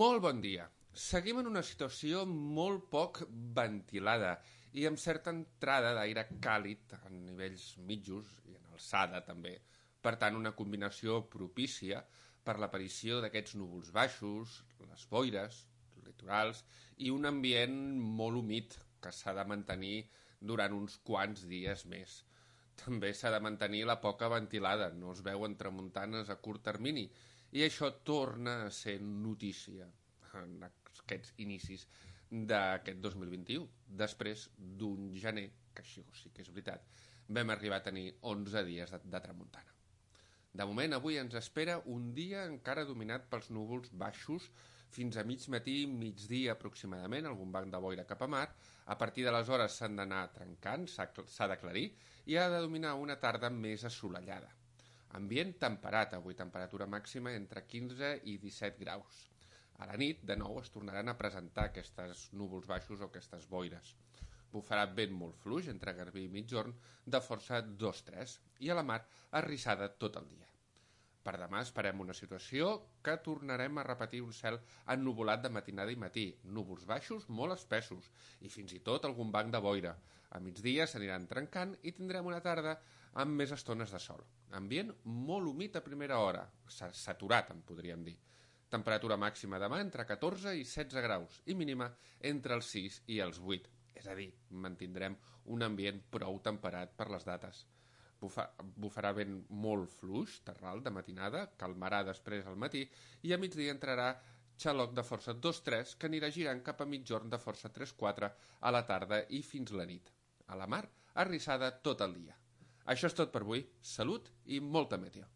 Molt bon dia. Seguim en una situació molt poc ventilada i amb certa entrada d'aire càlid a nivells mitjos i en alçada també. Per tant, una combinació propícia per l'aparició d'aquests núvols baixos, les boires, litorals i un ambient molt humit que s'ha de mantenir durant uns quants dies més. També s'ha de mantenir la poca ventilada, no es veuen tramuntanes a curt termini, i això torna a ser notícia en aquests inicis d'aquest 2021, després d'un gener, que això sí que és veritat, vam arribar a tenir 11 dies de tramuntana. De moment, avui ens espera un dia encara dominat pels núvols baixos fins a mig matí, migdia aproximadament, algun banc de boira cap a mar. A partir de les hores s'han d'anar trencant, s'ha d'aclarir, i ha de dominar una tarda més assolellada. Ambient temperat, avui temperatura màxima entre 15 i 17 graus. A la nit, de nou, es tornaran a presentar aquests núvols baixos o aquestes boires. Bufarà vent molt fluix entre Garbí i Migjorn de força 2-3 i a la mar arrissada tot el dia. Per demà esperem una situació que tornarem a repetir un cel ennuvolat de matinada i matí, núvols baixos molt espessos i fins i tot algun banc de boira. A migdia s'aniran trencant i tindrem una tarda amb més estones de sol. Ambient molt humit a primera hora, saturat en podríem dir. Temperatura màxima demà entre 14 i 16 graus i mínima entre els 6 i els 8. És a dir, mantindrem un ambient prou temperat per les dates. Bufarà vent molt fluix, terral, de matinada, calmarà després al matí i a migdia entrarà xaloc de força 2-3 que anirà girant cap a Migjorn de força 3-4 a la tarda i fins la nit. A la mar, arrissada tot el dia. Això és tot per avui. Salut i molta meteo.